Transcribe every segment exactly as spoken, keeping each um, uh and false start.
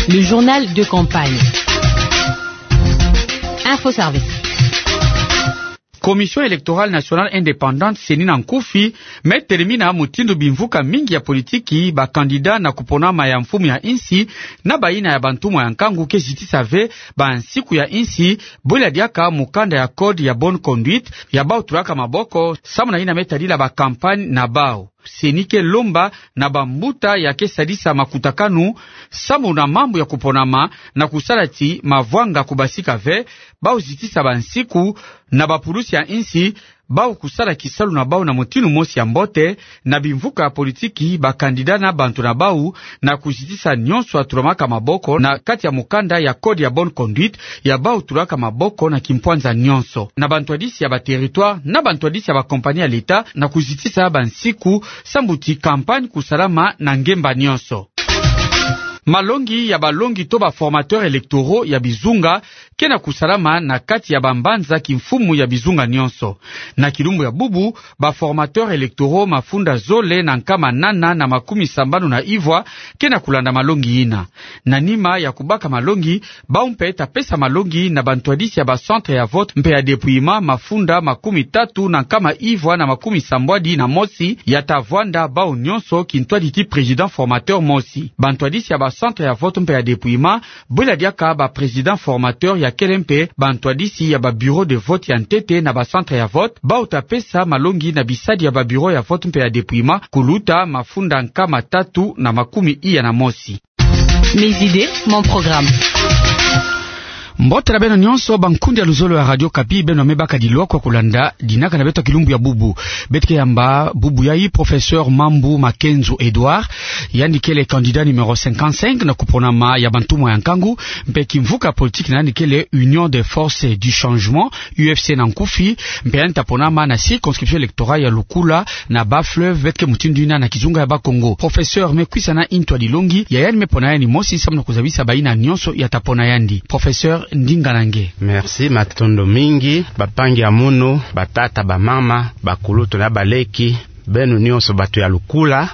Le journal de campagne. Info Service. Commission électorale nationale indépendante, CENI na nkufi, me telemina mutindu bimvuka mingi ya politiki, ba candidat na kuponama ya mfumu ya insi, na bayina ya bantumwa ya nkangu ke zitisa ve bansiku ya insi, bwela diaka mukanda ya code ya bonne conduite ya bau tulaka maboko, samu na yina me tadila ba campagne na bau. CENI ke lomba na bambuta ya ke sadisa makutakanu samu na mambu ya kuponama na kusala ti mavwanga kubasika ve, bau zitisa bansiku na bapulusi ya insi, bau kusala kisalu na bau na mutindu mosi ya mbote, na bimvuka ya politiki, ba candidat na bantu na bau, na kuzitisa nyonso ya tulamaka maboko na kati ya mukanda ya code ya bonne conduite ya bau tulaka maboko na kimpwanza nyonso, na bantwadisi ya ba territoire, na bantwadisi ya ba compagnie ya l'État, na kuzitisa bansiku samu ti campagne kusalama na ngemba nyonso. Malongi ya balongi to ba formateurs électoraux ya bizunga ke na kusalama na kati ya bambanza kimfumu ya bizunga nyonso. Na kilumbu ya bubu, ba formateurs électoraux mafunda zole na nkama nana na makumi sambanu na ivwa ke na kulanda malongi yina. Na nima ya kubaka malongi, bau mpe ta pesa malongi na bantwadisi ya ba centre ya vote mpe ya dépouillement mafunda makumi tatu na nkama ivwa na makumi sambwadi na mosi ya ta vwanda bau nyonso kintwadi ti président formateur mosi. Bantwadisi ya ba centre ya vote mpe ya dépouillement, bwela diaka ba président formateur ya kele mpe bantwadisi ya ba bureau de vote ya ntete na ba centre ya vote, bau ta pesa malongi na bisadi ya ba bureau ya vote mpe ya dépouillement kuluta mafunda nkama tatu na makumi iya na mosi. Mes idées, mon programme. Mbote na beno nyonso, bankundi ya luzolo ya Radio Okapi, beno me baka dilokwa kulanda dinaka na beto ya kilumbu ya bubu. Beto ke yamba bubu yayi professeur Mambu Makenzo Edouard, yandi kele candidat numéro cinquante-cinq na kuponama ya bantumwa ya nkangu, mpe kimvuka politique na yandi kele Union des Forces du Changement, U F C na nkufi, mpe yandi ta ponama na circonscription électorale ya Lukula na Bas-Fleuve, beto ke mutindu yina na kizunga ya Bakongo. Professeur, me kwisa na ntwadilongi ya yandi me pona yandi mosi samu na kuzabisa bayina nyonso ya ta pona yandi. Professeur, ndinga na nge. Merci, matondo mingi, bampangi ya munu, batata, bamama, bakulutu na baleki, beno nyonso bato ya Lukula,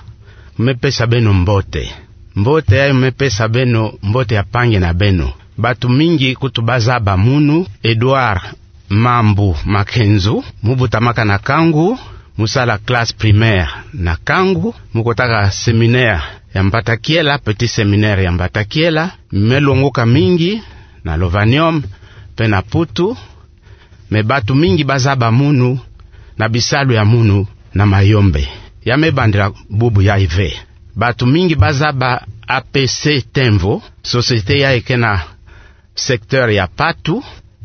me pesa beno mbote. Mbote yayi me pesa beno mbote ya mpangi na beno. Bato mingi kutu bazaba munu, Edouard Mambu Makenzo, mu butamaka na Kangu, mu sala classe primaire na Kangu, mu kotaka séminaire ya Mbata Kiela, petit séminaire ya Mbata Kiela, me longoka mingi na Lovanium, mpe na Putu, me bato mingi bazaba munu na bisalu ya munu na Mayombe. Ya me bandila bubu yayi ve. Bato mingi bazaba A P C Temvo, société yayi ke na secteur ya Patu,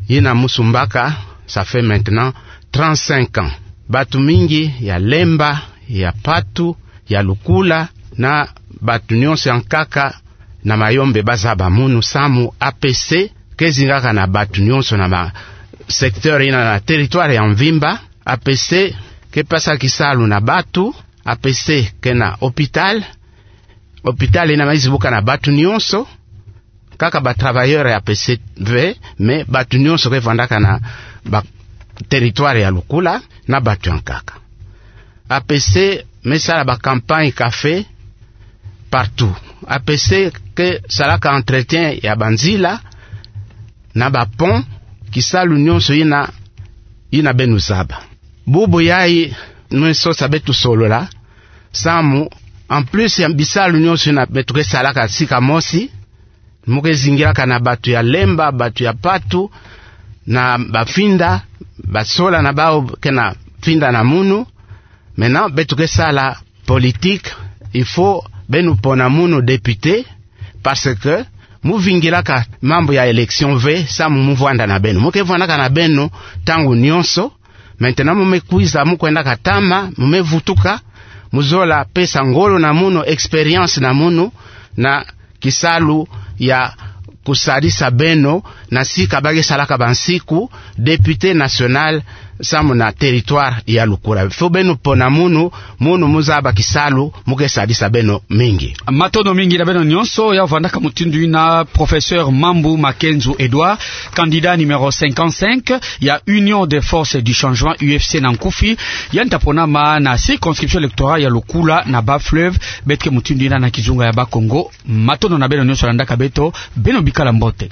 yina mu sumbaka, ça fait maintenant trente-cinq ans. Bato mingi ya Lemba, ya Patu, ya Lukula, na bato nyonso ya nkaka na Mayombe bazaba munu samu A P C ke zingaka na bato nyonso na ma secteur yina na territoire ya mvimba. A P C ke pesa kisalu na bato, A P C ke na hôpital, hôpital yina me zibuka na bato nyonso, kaka ba travailleurs ya A P C ve, mais bato nyonso ke vandaka na ba territoire ya Lukula na bato ya nkaka. A P C me sala ba campagne café partout. A P C ke salaka entretien ya banzila na ba pont, kisalu nyonso yina, yina beno zaba. Bubu yayi me sosa beto solola, samu, en plus ya bisalu nyonso yina beto ke salaka sika mosi, mu ke zingilaka na bato ya Lemba, bato ya Patu, na bafinda, basola na bau ke na finda na munu. Maintenant, beto ke sala politique, il faut beno pona munu député, parce que mu vingilaka mambu ya élection ve samu mu vwanda na beno. Mu ke vwandaka na beno ntangu nyonso. Maintenant, mu me kwiza, mu kwendaka ntama, mu me vutuka, mu zola pesa ngolo na munu, expérience na munu, na kisalu ya kusalisa beno na sika ba ke salaka bansiku député national samu na territoire ya lukula. Faut beno pona munu, munu mu zaba kisalu, mu ke sadisa beno mingi. Matondo mingi na beno nyonso. Ya vandaka mutindu ina professeur Mambu Makenzo Edouard, candidat numéro cinquante-cinq ya Union des Forces du Changement, U F C na nkufi, yandi ta ponama na circonscription électorale ya lukula na Bas-Fleuve, beto ke mutindu ina na kizunga ya Bas-Congo. Matondo na beno nyonso landaka beto, beno bikala mbote.